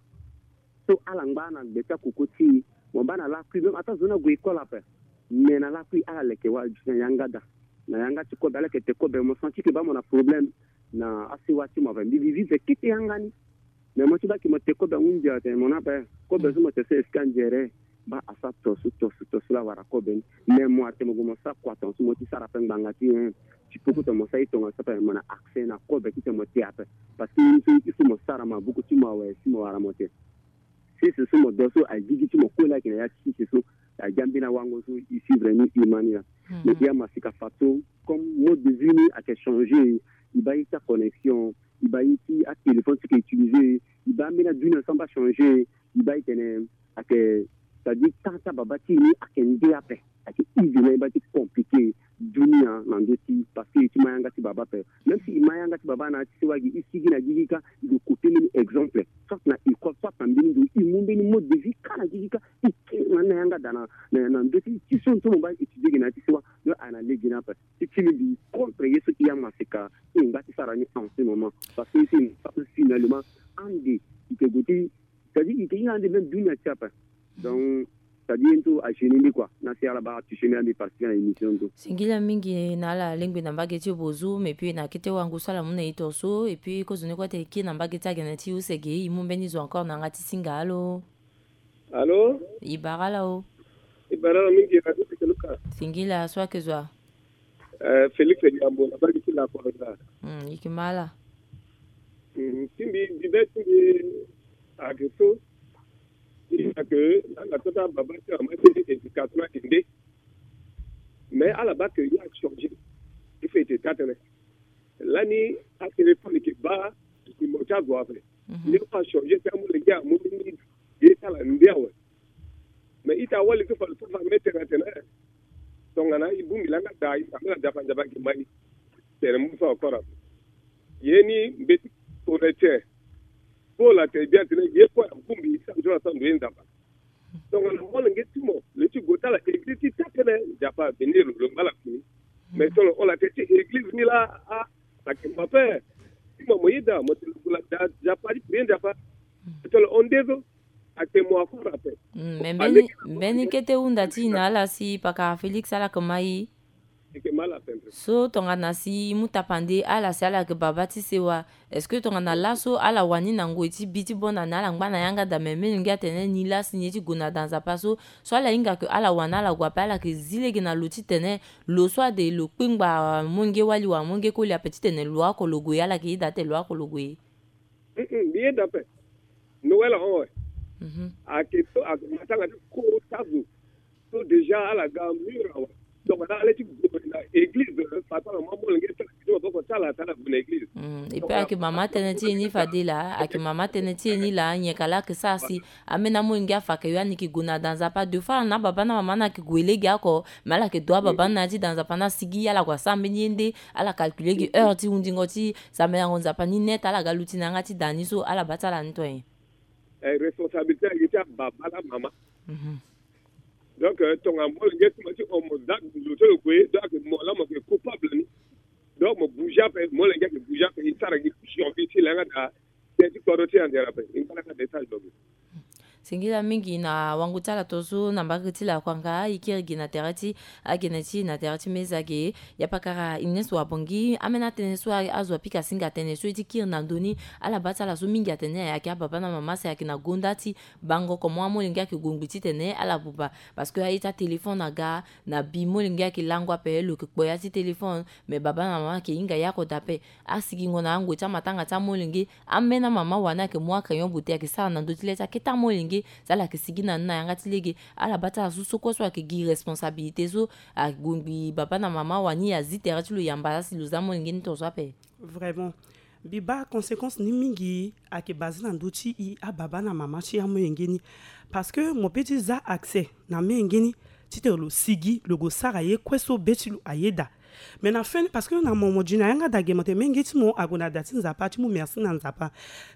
so ala ngba na gbe ti akoko ti e. Mo baa na lakui même ataa zo ni ague école ape. Mais na lakui ala leke wara duti na yanga daa. Na yanga ti kobe ala yeke te kobe, mo senti ke baa mo na problème na asewa ti mo ape. Mbi mbi vivre kete yanga ni. Mais mo ti baa ke mo te kobe ahunzi atene mo na ape. Kobe so mo te so est-ce que anzere? Baa asara to so to so to so laa wara kobe ni. Mais mo atene mo gue mo sara kua tongaso mo ti sara ape ngbanga ti nyen? Ti poko tene mo sara ye tongaso ape mo na accès na kobe titene mo te ape. Parce que ye ni so il faut mo sara maboko ti mo awe si mo wara mo te. Sese so mo do so agigi ti mo kue laa ayeke na ya ti sese so. Agi ambeni awango so e suivre ni e ma ni laa. Mhm. Mais e amasika fa so comme mode de vie ni ayeke changé. E baa ye ti aconnexion, e baa ye ti atéléphone so e yeke utilisé, e baa ambeni adunia so amba changé. E baa e tene ayeke c'est-à-dire temps ti ababa ti e ni ayeke nde ape. Ayeke easy na e baa ti compliqué dunia na ndö ti parce que e ti ma yanga ti baba ape. Même si e ma yanga ti baba na ya ti sewa gi e sigi na gigi kâ e gue copier mbeni exemple soit na école soit na mbeni ndo e mu mbeni mode de vie kâ na gigi kâ e kiri na ni na yanga daa na na ndö ti ti so so mo baa étudier gi na ya ti sewa. Donc ayeke na lege ni ape. Ti ti mbi contre ye so e amasika e ngba ti sara ni en ce moment parce que e si finalement ande e yeke gue ti c'est-à-dire e yeke hinga ande même dunia ti ape. Donc C'est-à-dire, tout a chini ni quoi. Na si ala ba touché ni ami parce que na émission tout. Singila mingi na ala lengbe na mbage ti bozu, mais puis na kete wangu sala muna ito so, et puis kozoni kwa te ki na mbage ti agene ti usege, imu mbeni zo encore na nga ti singa. Allô? Allô? Ibarala o. Ibarala mingi, Radio Luka. Singila, so ake zwa. Euh, Félix Yambo, na mbage ti la Koroza. Hmm, ikimala. Hmm, timbi, bibe timbi, ake so. Ina ke, na nga tota baba ti ama ti éducation ake nde. Mais ala ba ke ya changé. Il faut ete tatene. Lani a téléphone ke ba, ki mo ta zo ape. Mhm. Ni pa changé, ta mo le ya, mo ni, ye ta la ndia we. Mais ita wali ke fa, fa, fa, mettre na tene. Tongana i bungbi langa da, i sa mela Nzapa, Nzapa ke mai. Tene mu fa encore. Ye ni mbeti koreche. Paul ate bien tene, ye ko ya bungbi, sa nzora sa ndo ye Nzapa. Tongana molenge ti mo, le ti go ta la église ti ta tene, Nzapa bénir lo, lo ngba la fini. Mais tongana on la te ti église ni la, ah, sa ke mo ape. Ti mo mo yeda, mo te lo go la da, Nzapa, ti prier Nzapa. Tongana on nde zo, ake mo akora ape. Mm, mais mbeni, mbeni kete hunda ti na ala si paka Félix ala ke mai. Eke mal atteindre. So tongana si mu tapande ala si ala ke baba ti sewa. Est-ce que tongana laso ala wani na ngoi ti bi ti bona na ala ngba na yanga da, mais melenge atene ni la si ni ye ti go na da Nzapa so, so ala hinga ke ala wani ala gue ape, ala ke zi lege na lo ti tene lo so ade lo kpengba molenge wali wa molenge koli ape ti tene lo oko lo gue, ala ke yeda te lo oko lo gue. Mm, mm, mbi yeda ape. Noël awe. Mhm. Ake so, ake matanga ti kota zo. So déjà ala ga mur awe. Donc na ala ti gue na église, papa, maman, molenge ti ala ti boko ti ala ti ala gue na église. Mm, et puis ake mama tënë ti e ni fade laa, ake mama tënë ti e ni laa, nyen ka laa ake sara si ambeni amolenge afa ake yo ani ke gue na da Nzapa. Deux fois na baba na mama ni ake gue lege oko, mais ala ke dua baba ni na ya ti da Nzapa ni asigi, ala gue asara mbeni ye nde, ala calculer gi heure ti hundingo ti sambelango Nzapa ni net, ala ga luti na yanga ti da ni so, ala baa ti ala ni to nyen? Eh, responsabilité ayeke ti ababa na mama. Mhm. Donc, euh, tongana molenge ti mo ti hon mo za lo ti lo gue, donc mo laa mo yeke coupable ni. Donc mo bouger ape, molenge ayeke bouger ape, e sara gi survie ti langa da. Tënë ti kodro ti e anzere ape, e ngba langa da e sara lo gi. Singila mingi na wango ti ala to so na mbage ti lakuanga, e kiri gi na tere ti agene ti e na tere ti meza ge. Ya pakara Ines Wabongi, ambeni atënë so a, azo apika singa tënë so e ti kiri na ndö ni, ala baa ti ala so mingi atene ayeke ababa na mama si ayeke na gonda ti bango comment amolenge ayeke gue ngbii titene ala buba. Parce que aye ti atéléphone aga, na bi molenge ayeke lango ape, lo yeke kpo ya ti téléphone, mais baba na mama ayeke hinga ya oko daa ape. Asigingo na angoi ti amatanga ti amolenge, ambeni amama wani ayeke mu acrayon bote ayeke sara na ndö ti le ti akete amolenge, si ala yeke sigi na ni na yanga ti lege, ala baa ti ala so so kue so ayeke gi responsabilité so, ague ngbii baba na mama wani azi tere ti lo yamba si lo za molenge ni tongaso ape. Vraiment. Mbi baa conséquence ni mingi ayeke basé na ndö ti e ababa na mama ti amolenge ni. Parce que mo peut ti za accès na amolenge ni titene lo sigi, lo gue sara ye kue so be ti lo ayeda. Mais na fin ni, parce que na mo, mo di na yanga daa ge mo tene menge ti mo ague na da ti Nzapa, ti mu merci na Nzapa.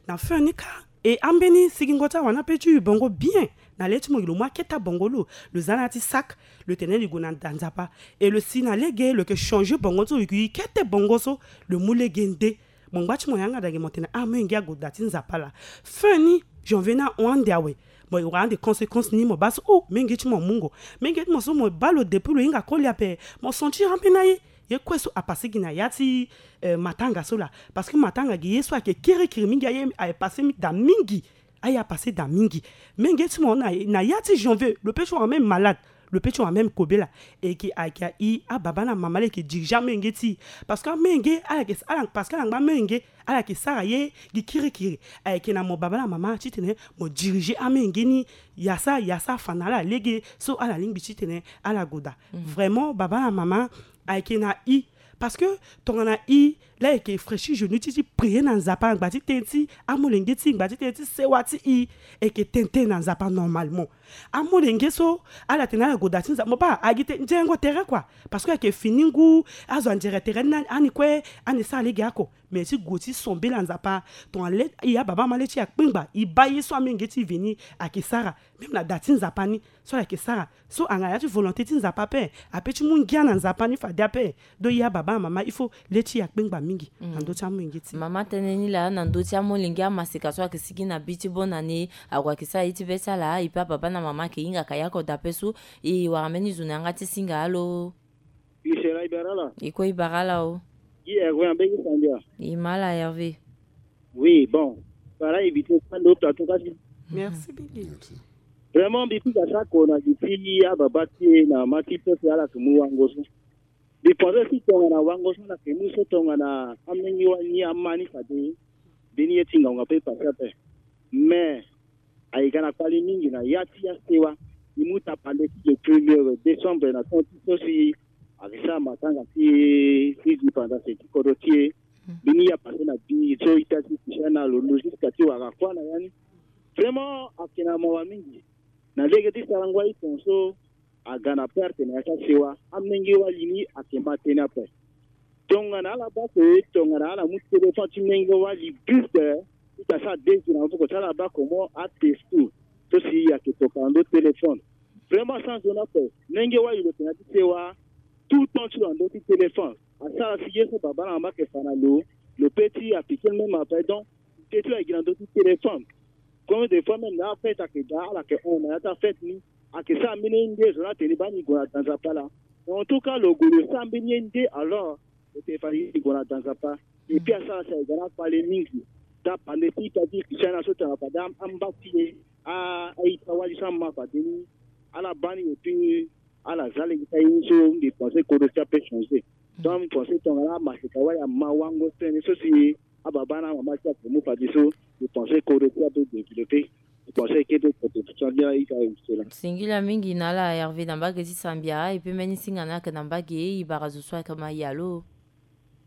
Na fin ni kâ, e ambeni sigingo ti awani ape ti yu bongo bien. Na le ti mo gi lo mu akete abongo lo, lo za na ya ti sac, lo tene lo gue na da Nzapa. E lo si na lege lo yeke changer bongo so, lo yeke yu kete bongo so, lo mu lege nde. Mo ngba ti mo yanga daa ge mo tene ah, molenge ague da ti Nzapa laa. Fin ni, janvier ni ahon ande awe. Mo wara ande conséquence ni, mo baa so oh, molenge ti mo amungo. Molenge ti mo so mo baa lo depuis lo hinga koli ape. Mo sentir ambeni aye. Ye kue so apasé gi na ya ti, euh, matanga so laa. Parce que matanga gi ye so ayeke kirikiri mingi, aye aye pasé mi-, daa mingi. Aye apasé daa mingi. Molenge ti mo na, na ya ti janvier, lo peut ti wara même malade. Lo peut ti wara même kobela. E yeke, ayeke e ababa na mama laa e yeke diriger amolenge ti e. Parce que amolenge, ala yeke, ala, parce que ala ngba amolenge, ala yeke sara ye gi kirikiri. Ayeke na mo baba na mama titene mo diriger amolenge ni. Ya sara, ya sara fa na ala lege so ala lingbi titene ala gue daa. Mm. Vraiment, baba na mama, ayeke na e. Parce que tongana e laa e yeke fréchi genou ti e ti prier na Nzapa, ngba ti tënë ti amolenge ti e, ngba ti tënë ti sewa ti e, e yeke tene tënë na Nzapa normalement. Amolenge so ala tene ala gue da ti Nzapa, mo baa, a gi te, nzengo tere quoi. Parce que ayeke fini ngu, azo anzere tere ni, ani kue, ani sara lege oko. Mais ti gue ti sombela Nzapa. Tongana le e ya baba ma le ti e akpengba, e baa ye so amenge ti e veni ayeke sara. Même na da ti Nzapa ni so ayeke sara. So anga ya ti volonté ti Nzapa ape, ape ti mu ngia na Nzapa ni fade ape. Donc e ya baba na mama, il faut le ti e akpengba mingi na ndö ti amolenge ti e. Mama tënë ni laa na ndö ti amolenge amaseka so ayeke sigi na bi ti bonne année, ague ayeke sara ye ti be ti ala, e pe ababa na mama ayeke hinga ka ya kodro ape so. E wara mbeni zo na yanga ti singa alo. Isera i bara ala. I kue i bara ala o. Gi Hervé ambegi sandia. I ma ala Hervé. Oui, bon. Bara invité kue ando plateau kasi. Merci mingi. Merci. Vraiment mbi kuta sako na gi ti ababa ti e na ma ti peuple ala yeke mu wango so. Mbi pense si tongana wango so ala yeke mu so tongana amenge wani ama ni fade. Mbeni ye ti ngonga pe pase ape. Mais ayeke na kpali mingi na ya ti asewa. E mu tapande ti le premier décembre na temps ti so si ayeke sara matanga ti ti indépendance ti kodro ti e. Mbeni ye apase na bi so ita ti Christiana lo logique ti wara kuâ na ya ni. Vraiment ayeke na mawa mingi. Na lege ti sarango aye tongaso aga na perte na ya ti asewa. Amenge wali ni ayeke ma tënë ape. Tongana ala baa ke tongana ala mu téléphone ti menge wali juste, ita sara deux jours na maboko ti ala baa comment atexto so si ayeke toka na ndö téléphone. Vraiment sans honneur ape. Menge wali lo yeke na ya ti sewa tout temps ti lo na ndö ti téléphone. Asara si ye so baba na mama ayeke fa na lo, lo pe ti appliquer le même ape. Donc Teti lo ayeke gi na ndö ti téléphone. Combien de fois même na afête ayeke daa ala yeke hon na ya ti afête ni. Ayeke sara mbeni ye nde zo ni atene baa ni gue na da Nzapa laa. En tout cas lo gue lo sara mbeni ye nde alors lo tene fade ni gue na da Nzapa. Et puis asara si ayeke ga na akpale mingi. Tapande ti ita ti Christian na so tongana fade amba ti e a-ita wali so ama fade ni ala baa ni et puis ala za lege ti aye ni so mbi pense kodro ti ape changer. Donc mbi pense tongana amaseka wali ama wango tënë so si ababa na amama ti ape mu fadeso. Mbi pense kodro ti ape développé. Mbi pense eke pe kodro ti ape ita. Singila mingi na ala Hervé na mbage ti Sambia et puis mbeni singa ni ayeke na mbage e, e bara zo so ayeke ma ya lo.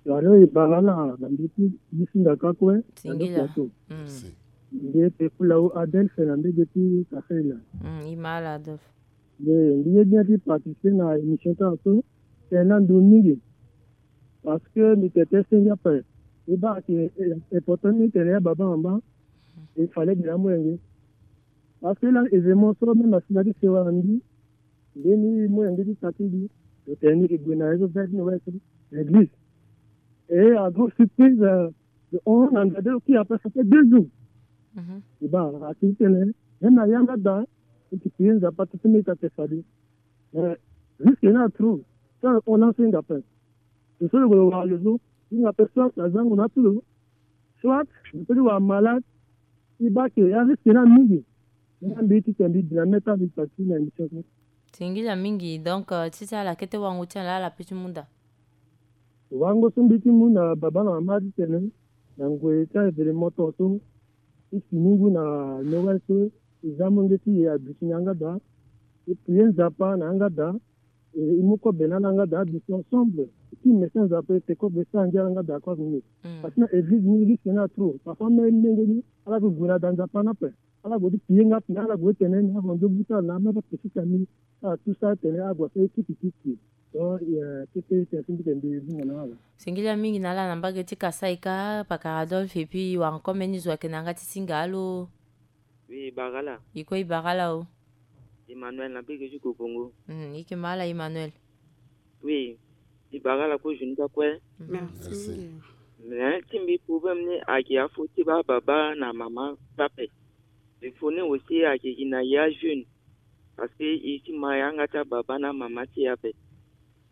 Alo, e bara ala na ndö ti gi singa ka kue na ndö ti plateau. Mbi ete kula o Adolphe na mbage ti Kasaila. Mm, e ma ala Adolphe. Mbi ye bien ti participer na émission ti ala so. Tene na ndö mingi. Parce que mbi tene ti senge ape. E baa ayeke important ni tene ya baba mama. E fallait gi na amolenge. Parce que la événement so même asi na ti sewa na mbi. Mbeni molenge ti sa ti mbi lo tene ni e gue na réseau vert ni west na église. Et à grande surprise, euh, le onze na ndade lo kiri après ça fait deux jours. Mhm. E baa asi ti tene même na yanga daa e ti prier Nzapa ti ti mbi ta te fade. Mais risque ni atro. So on lance hinga ape. Lo so lo gue lo wara lo so hinga ape soit azango na atu lo. Soit lo peut ti wara malade. E baa ke ya risque ni amingi. Ni ambi ti tene mbi bi na mê ti ambi parti na émission so. Singila mingi. Donc euh, ti ti ala kete wango ti ala ala peut ti mu nda. Wango so mbi ti mu na baba na mama ti tene na ngoi ti a-événement tongaso. E fini ngu na Noël so e za molenge ti e aduti na yanga daa. E prier Nzapa na yanga daa. E, e mu kobe na ala yanga daa aduti ensemble. E ti message Nzapa e te kobe e sara ngia na yanga daa kobe ni. Mm. Parce que na église ni risque ni atro. Parfois même molenge ni ala gue gue na da Nzapa ni ape. Ala gue ti pillé nga tene ala gue ti tene ni avanzo buta na amai pa pesi ti ami. Ala tout ça tene ala gue afai kiki kiki. Donc euh, kete tene ti mbi tene mbi hunga na ala. Singila mingi na ala na mbage ti Kasaï ka pakara Adolphe et puis e wara encore mbeni zo ayeke na yanga ti singa alo. Oui, bara ala. E kue e bara ala o. Emmanuel na bege ti Kobongo. Mm, e yeke ma ala Emmanuel. Oui, e bara ala kue journée ti akue. Merci. Merci. Mais ti mbi problème ni ayeke afo ti baa baba na mama ti ape. Il faut ni aussi ayeke gi na ya jeune. Parce que e ti ma yanga ti ababa na mama ti e ape.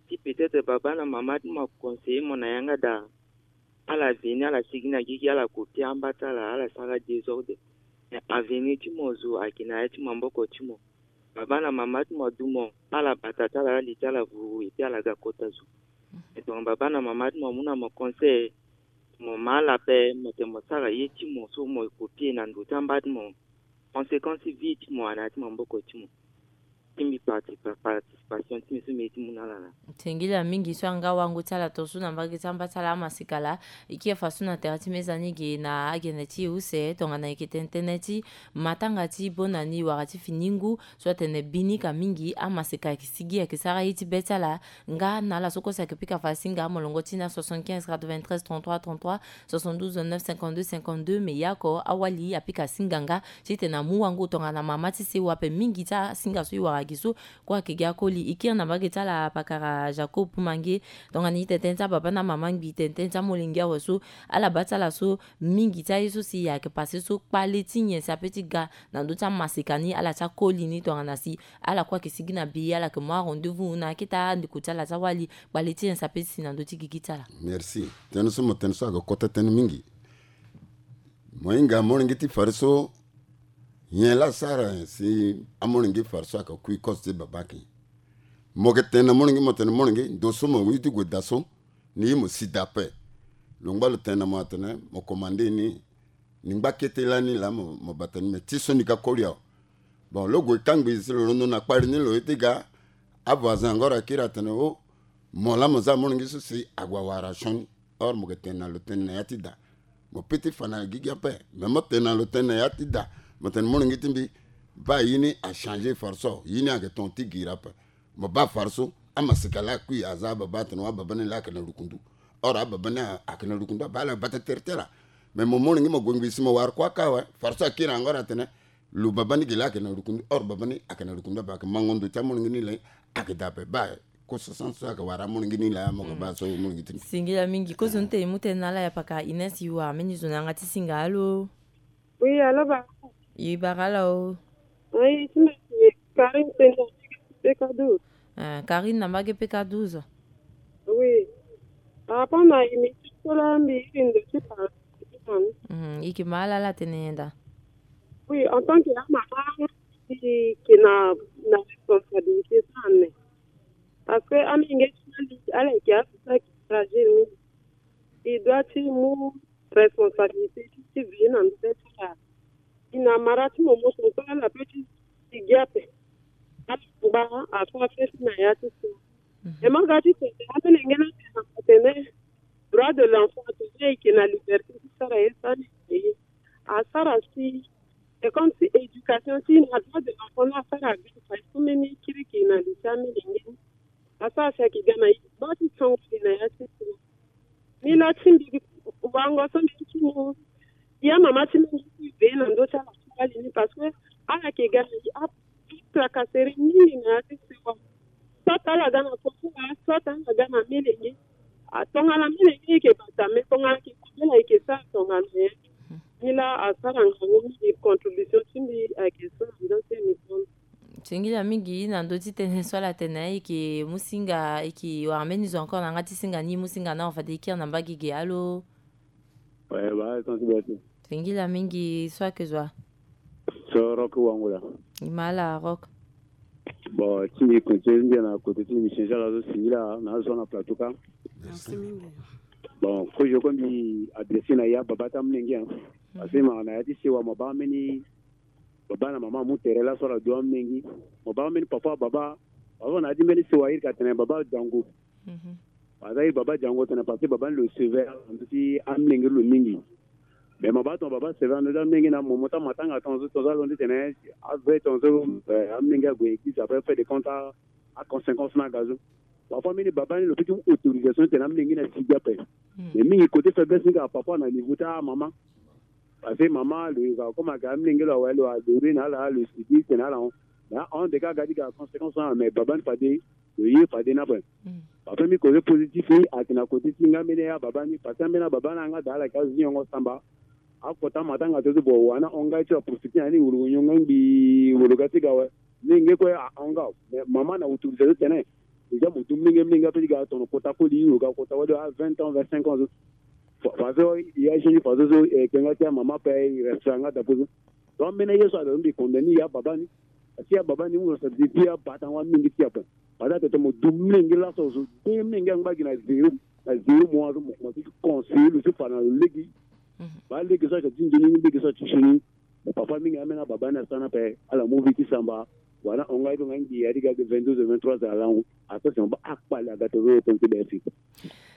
Si peut-être baba na mama ti mo aconseiller mo na yanga daa. Ala veni ala sigi na gigi ala copier amba ti ala, ala sara désordre. Mais avenir ti mo zo ayeke na ya ti maboko ti mo. Baba na mama ti mo adu mo, ala bata ti ala, ala li ti ala vuru, et puis ala ga kota zo. Mais tongana baba na mama ti mo amu na mo conseil, mo ma ala ape, mo tene mo sara ye ti mo so mo copier na ndo ti amba ti mo. Conséquence vie ti mo ayeke na ya ti maboko ti mo. Ti mbi parti- pa- participation ti mbi so mbi ye ti mu na ala na. Singila mingi so anga wango ti ala tongaso na mbage ti amba ti ala amasika laa. E kiri faso na tere ti mezani ge na agene ti e use tongana e yeke tene tënë ti matanga ti bona ni wala ti fini ngu so atene bini ka mingi amasika ayeke sigi ayeke sara ye ti be ti ala. Nga na ala so kue si ayeke pika fa asinga amolongo ti na soixante-quinze quatre-vingt-treize trente-trois trente-trois, soixante-douze neuf cinquante-deux cinquante-deux. Me ya oko awali apika asinga nga titene amu wango tongana mama ti sewa ape mingi ti asinga so e wara gi so kue ayeke gi akoli. E kiri na mbage ti ala pakara Jacob Mange tongana e tene tënë ti ababa na mama ngbi tene tënë ti amolenge awe so ala baa ti ala so mingi ti aye so si ayeke pase so kpale ti nyen si ape ti ga na ndö ti amasika ni ala ti akoli ni tongana si ala kue ayeke sigi na bi ala yeke mu arendez-vous na akete andeko ti ala ti awali kpale ti nyen si ape ti si na ndö ti gigi ti ala. Merci. Tënë so mo tene so ayeke kota tënë mingi. Mo hinga amolenge ti fade so nyen laa asara si amolenge ti fade so ayeke kui kozo ti baba ake. Mo yeke tene na molenge mo tene molenge ndo so mo ye ti gue daa so ni ye mo si daa ape. Lo ngba lo tene na mo atene mo komande ni. Ni ngba kete lani laa mo mo bata ni me ti so ni ka koli awe. Bon lo gue kangbi si lo londo na kpari ni lo ye ti ga. Avoisin angoro akiri atene o mo laa mo za amolenge so si ague awara sioni. Or mo yeke tene na lo tënë na ya ti daa. Mo pe ti fa na gigi ape. Me mo tene na lo tënë na ya ti daa mo tene molenge ti mbi. Baa ye ni achangé fade so ye ni ayeke ton ti giri ape. Mo baa fade so amasika laa akui aza ababa atene wa ababa ni laa ayeke na lukundu. Or ababa ni ayeke na lukundu abaa ala bata tere ti ala. Me mo molenge mo gue ngbi si mo wara kue aka awe. Fade so akiri angoro atene lo baba ni gi laa ayeke na lukundu or baba ni ayeke na lukundu ape ayeke mango ndo ti amolenge ni le. Ayeke daa ape baa kosa sens so ayeke wara amolenge ni laa mo yeke baa so molenge ti mbi. Singila mingi kozo ni tene e mu tënë na ala ya paka Ines e wara mbeni zo na yanga ti singa alo. Oui alo baba. E bara ala o. Oui ti mbi Karine Senda. P K douze. Ah, Karine na mbage P K douze. Oui. Par rapport na émission so laa mbi iri ndo ti parle. Mhm, e yeke ma ala ala tene nyen daa? Oui, en tant que amama, e yeke na na responsabilité so ane. Parce que amenge ti mali ala yeke azo so ayeke fragile mingi. E doit ti mu responsabilité ti ti veiller na ndo ti ala. E na mara ti mo mo tongaso ala pe ti sigi ape. Ala ngba afa feti na ya ti so. E ma ga ti tene amolenge ni atene na mo tene droit de l'enfant atene e yeke na liberté ti sara ye so ane na ye. Asara si c'est comme si éducation ti na droit de l'enfant ni asara ga fa so mbeni kiriki na li ti amolenge ni. Asara si ayeke ga na e baa ti sango li na ya ti so. Ni laa ti mbi wango so mbi ti mu ya mama ti mbi mbi ti ve na ndö ti ala ti wali ni parce que ala yeke ga na e a tracasserie mingi na ya ti sewa. Soit ala ga na kosala soit ala ga na melenge. Tongana melenge e yeke bata me tongana yeke kobela e yeke sara tongana nyen? Ni laa asara ngangu mingi contribution ti mbi ayeke so na ndö ti émission. Singila mingi na ndö ti tënë so ala tene e yeke mu singa e yeke wara mbeni zo encore na yanga ti singa ni e mu singa na hon fade e kiri na mbage ge alo. Ouais, bah, sensibilité. Singila mingi so ayeke zo wa? So Rock Wangola. E ma ala Rock. Bon ti mbi continue ti mbi na côté ti mbi change ala so singila na azo so na plateau ka. Merci mingi. Bon kozo kue mbi adressé na ya baba ti amolenge. Parce que ma na ya ti sewa ma baa mbeni baba na mama amu tere laso ala du amolenge. Ma baa mbeni papa baba. Baba na ya ti mbeni sewa iri ka tene baba Django. Aza iri baba Django tene parce que baba ni lo sévère na ndö ti amolenge ti lo mingi. Mais ma baa tongana baba sévère na ndö ti amolenge na mo mo ti amatanga tongaso tongaso alondo ti tene ave tongaso amolenge ague église après fait de compte aconséquence ni aga so. Parfois mbeni baba ni lo peut ti mu autorisation ti tene amolenge ni asi gi ape. Mais mingi côté faiblesse ni kaka parfois na niveau ti amama. Parce que mama lo yeka comme ayeke amolenge lo awe lo adore na ala lo sigi tene ala hon. Mais ahon de ka aga ti ga conséquence ni ala mais baba ni fade lo ye fade ni ape. Baba ni côté positif ni ayeke na côté ti nga mbeni ya baba ni parce que ambeni ababa ni anga daa ala yeke azo ti nyongo samba. Akota matanga so ti bo wa ni ahon nga ye ti lo aprofité na ni wolo nyongo ngbii wolo ga ti ga awe. Ni nge kue ahon nga mais mama na autorisation ti tene déjà mo du mlenge mlenge ape ti ga tono kota koli lo ga kota wali a vingt ans vingt-cinq ans so. Fa- faso ya jeune faso so e yeke nga ti amama ape e respect anga dapo so. Donc ambeni ye so alo mbi condamné ya baba ni. Asi ya baba ni mu responsabilité ti ya bata ngo amenge ti ya ape. Bata tete mo du mlenge laso so de mlenge angba gi na zéro na zéro mois so mo commencé ti conseiller lo so fa na lo lege. Ba lege so ayeke ti nzoni ni lege so ayeke ti sioni. Mo papa mingi ameni ababa ni asara ni ape ala mu vie ti samba. Wala na hon nga ye ti hon nga ngbii ya ti ga ge vingt-deux heures, vingt-trois heures alangu. Ape si mo baa akpale aga to ve yo tonti be si.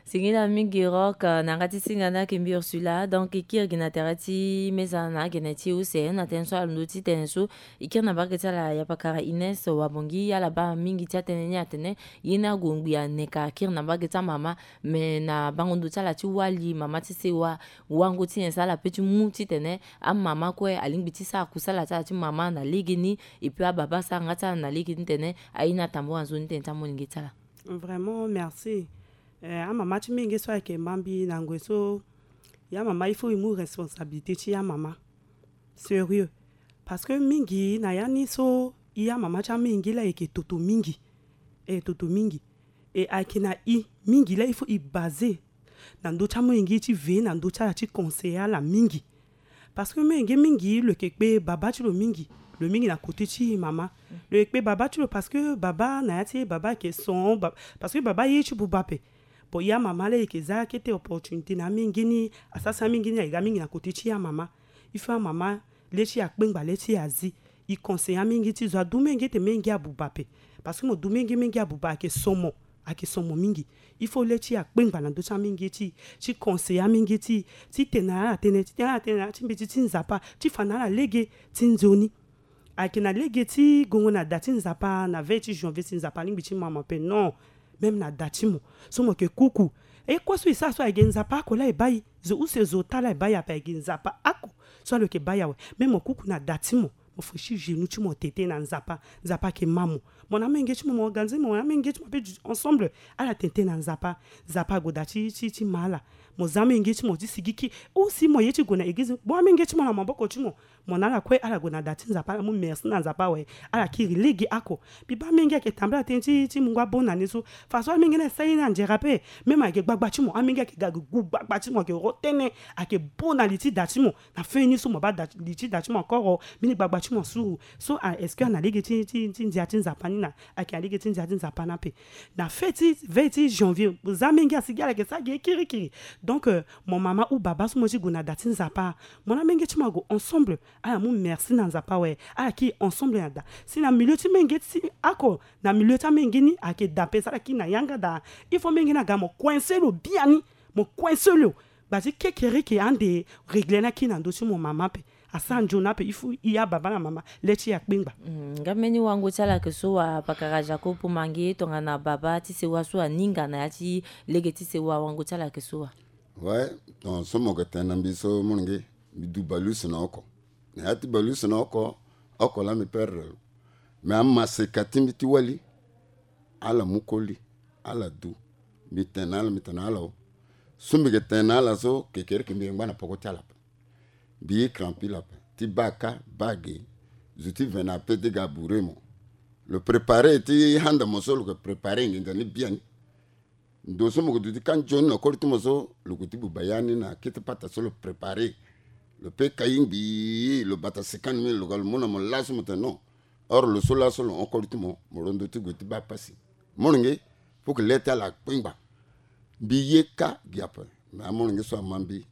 Singila mingi Rock, eh, na nga ti singa na yeke mbi Ursula. Donc e kiri gi na tere ti meza na agene ti use na tënë so alondo ti tene so. E kiri na mbage ti ala ya pakara Ines Wabongi, ala baa mingi ti atënë ni atene ye ni ague ngbii aneka, kiri na mbage ti amama. Me na bango ndo ti ala ti wali, mama ti sewa, wango ti nyen so ala pe ti mu titene amama kue alingbi ti sara kusala ti ala ti mama na legeni. Et puis ababa sara nga ti ala na legeni titene aye ni atambula nzoni tënë ti amolenge ti ala. Vraiment merci. Eh, amama ti menge so ayeke ma mbi na ngoi so, ya mama il faut e mu responsabilité ti ya mama. Sérieux. Parce que mingi na ya ni so, i ya mama ti amenge la ayeke toto mingi. E toto mingi. E ayeke na i mingi la il faut i basé na ndö ti amolenge ti ve na ndö ti ala ti conseiller ala mingi. Parce que menge mingi lo yeke kpe baba ti lo mingi. Lo mingi na côté ti mama. Lo yeke kpe baba ti lo parce que baba na ya ti e baba ayeke son ba-, parce que baba aye ti buba ape. Bon, ya mama la e yeke za kete opportunité na amenge ni, asara si amenge ni ayeke ga mingi na côté ti ya mama. Il faut amama le ti e akpengba, le ti e azi. E conseiller amenge ti zo, adu menge ti menge abuba ape. Parce que mo du menge, menge abuba ayeke son mo, ayeke son mo mingi. Il faut le ti e akpengba na ndö ti amenge ti, ti conseiller amenge ti, ti tene na ala tënë, ti tene na ala tënë na ala ti mbeti ti Nzapa, ti fa na ala lege ti nzoni. Ayeke na lege ti gongo na da ti Nzapa na veille ti janvier si Nzapa alingbi ti ma mo ape, non. Même na da ti mo so mo yeke kuku. E kue so e sara so ayeke Nzapa oko la e baa e. Zo use zo ota la e baa e ape, ayeke Nzapa oko so ala yeke baa e awe. Même mo kuku na da ti mo, mo fo ti genou ti mo tene tënë na Nzapa. Nzapa ayeke ma mo. Mo na amenge ti mo, mo ganzi mo, mo na amenge ti mo ape du-, ensemble. Ala tene tënë na Nzapa. Nzapa ague da ti, ti, ti ma ala. Mo za amenge ti mo ti sigi ki. Ou si mo ye ti gue na église, bon, amenge ti mo na maboko ti mo. Mo na ala kue, ala gue na da ti Nzapa, ala mu merci na Nzapa awe. Ala kiri lege oko. Mbi baa amenge ayeke tambula tënë ti, ti mungo abon na ni so. Façon amenge ni asara ye ni anzere ape. Même ayeke gbagba ti mo, amenge ayeke ga gu gbagba ti mo, ayeke ro tënë, ayeke bo na li ti da ti mo. Na fin ni so mo baa da, li ti da ti mo encore, mbeni gbagba ti mo asuru. So, ah, est-ce que ana lege ti, ti, ti ndia ti Nzapa ni na, ayeke na lege ti ndia ti Nzapa ni ape. Na fête ti, veille ti janvier, mo za amenge asigi ala yeke sara gi kirikiri. Donc, euh, mo mama ou baba so mo ti gue na da ti Nzapa, mo na amenge ti mo ague ensemble. Ala mu merci na Nzapa awe. Ala kiri ensemble na da. Si na milieu ti menge ti oko, na milieu ti amenge ni ayeke da ape, si ala kiri na yanga da, il faut menge ni aga mo coincer lo biani. Mo coincer lo. Gba ti kekereke ande régler ni akiri na ndö ti mo mama ape. Asara nzoni ape, il faut i ya baba na mama le ti e akpengba. Mm, nga mbeni wango ti ala ayeke so wa pakara Jacob Pomange tongana baba ti sewa so aninga na ya ti lege ti sewa, wango ti ala ayeke so wa? Ouais, donc so mo yeke tene na mbi so, molenge, mbi du baleuse na oko. Na ya ti baleuse na oko, oko laa mbi perdre lo. Me amaseka ti mbi ti wali, ala mu koli, ala du. Mbi tene na ala, mbi tene na ala o. So mbi yeke tene na ala so, kekereke mbi yeke ngba na poko ti ala ape. Mbi ye crampil ape. Ti baa ka, baa ge. Zo ti ve na ape ti ga bourrer mo. Lo préparer ti handa mo so lo yeke préparer nginza ni biani. Ndo so mo yeke duti ka nzoni na koli ti mo so, lo gue ti buba ya ni na kete pata so lo préparer. Lo pe kai ngbii, lo bata sikani mbeni lo ga lo mu na mo laso mo tene non. Or lo so laso lo hon koli ti mo, mo londo ti gue ti baa pasi. Molenge, faut que le ti ala akpengba. Mbi ye ka gi ape. Me amolenge so ama mbi.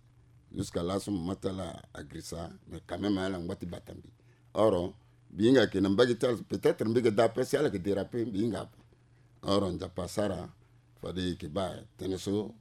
Jusqu'à laso mo ma ti ala agirisa, mais quand même ala ngba ti bata mbi. Or mbi hinga ayeke na mbage ti ala, peut-être mbi yeke daa ape si ala yeke déraper, mbi hinga ape. Or Nzapa asara, fade e yeke baa tënë so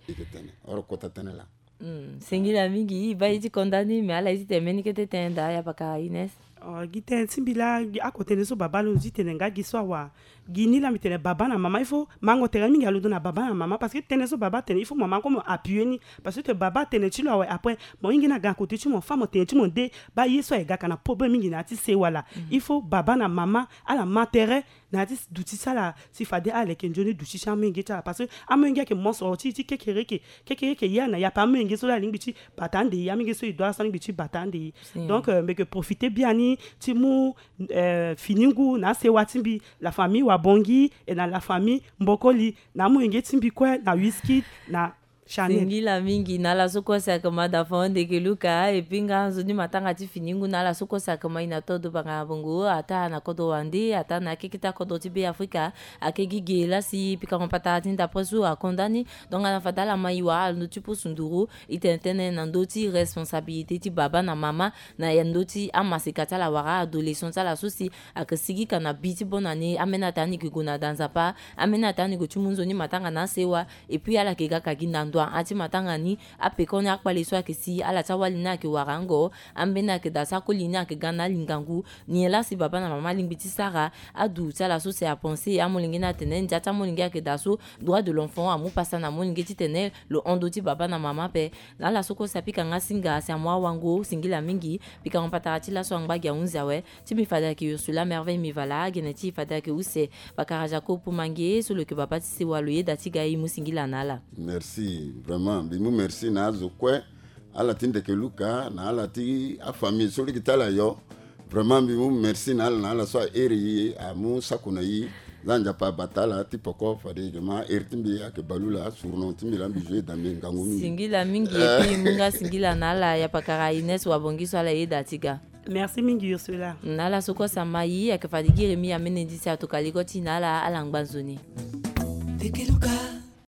e yeke tene. Or kota tënë laa. Mm, singila mingi, e baa e ti konda ni, me ala ye ti tene mbeni kete tënë daa, ya pakara Ines. Oh, gi tënë ti mbi laa, gi oko tënë so baba alondo ti tene nga gi so awa. Gi ni laa mbi tene baba na mama, il faut mango tere mingi alondo na baba na mama, parce que tënë so baba atene, il faut mama kue mo appuyer ni. Parce que baba atene ti lo awe, après mo hinga ni aga na côté ti mo, fa mo tene ti mo nde, baa ye so ayeke ga ka na problème mingi na ya ti sewa laa. Il faut baba na mama ala ma tere na ya ti duti ti ala, si fade ala leke nzoni duti ti amolenge ti ala. Parce que amolenge ayeke mosoro ti, ti kekereke. Kekereke ya na ya ape, amolenge so laa alingbi ti bata ande ye, amolenge so e dua so alingbi ti bata ande ye. Donc, euh, mbi yeke profiter biani ti mu, euh, fini ngu na asewa ti mbi, la famille Wabongi, et na la famille Mbokoli, na amolenge ti mbi kue, na Wizkid, na Singila mingi na ala so kue si ayeke ma da fon ndeke luka. Epui nga nzoni matanga ti fini ngu na ala so kue si ayeke ma i na todo banga bongo, ata na kodro wande, ata na akeketa kodro ti be afrika. Ayeke gi ge lasi pikango patara ti ndapre so akonda ni. Donc ala fade ala ma i wara ndo ti pusu nduru. I tene tënë na ndö ti responsabilité ti baba na mama na ya ndö ti amaseka ti ala wara adolescent ti ala so si ayeke sigi ka na bi ti bonne année. Ambeni ata ni yeke gue na da nzapa, ambeni ata ni gue ti mu nzoni matanga na asewa. Epui ala yeke ga ka gi na ndo a ti matanga ni. Apekoni akpale so ayeke si ala ti awali ni ayeke wara ango. Ambeni ayeke da so akoli ni ayeke ga na alingangu. Nyen laa si baba na mama alingbi ti sara? Adu ti ala so si apense amolenge ni atene ndia ti amolenge ayeke da so. Droit de l'enfant amu pasa na molenge titene lo hon ndö ti baba na mama ape. Na ala so kue si apika nga singa si amu awango, singila mingi. Pikango patara ti laso angba gi ahunzi awe. Ti mbi fade ayeke Ursula Merveille Mivala, gene ti e fade ayeke use Bakara Jacob Poumange so lo yeke baba ti sewa lo yeda ti ga e, mu singila na ala. Merci. Vraiment mbi mu merci na azo kue, ala ti ndeke luka na ala ti afamille so lege ti ala yo. Vraiment mbi mu merci na ala, na ala so ahere e, amu sako na e. Za Nzapa abata ala ti poko fade e ma here ti mbi ayeke Balula, surnom ti mbi laa mbi joue Dambe Ngangu mingi. Singila mingi. Epui mu nga singila na ala ya pakara Ines Wabongi so ala yeda ti ga. Merci mingi Ursula. Na ala so kue si ama e, ayeke fade gi Rémi Amenedi si atoka ligo ti e na ala, ala ngba nzoni. Tekeluka.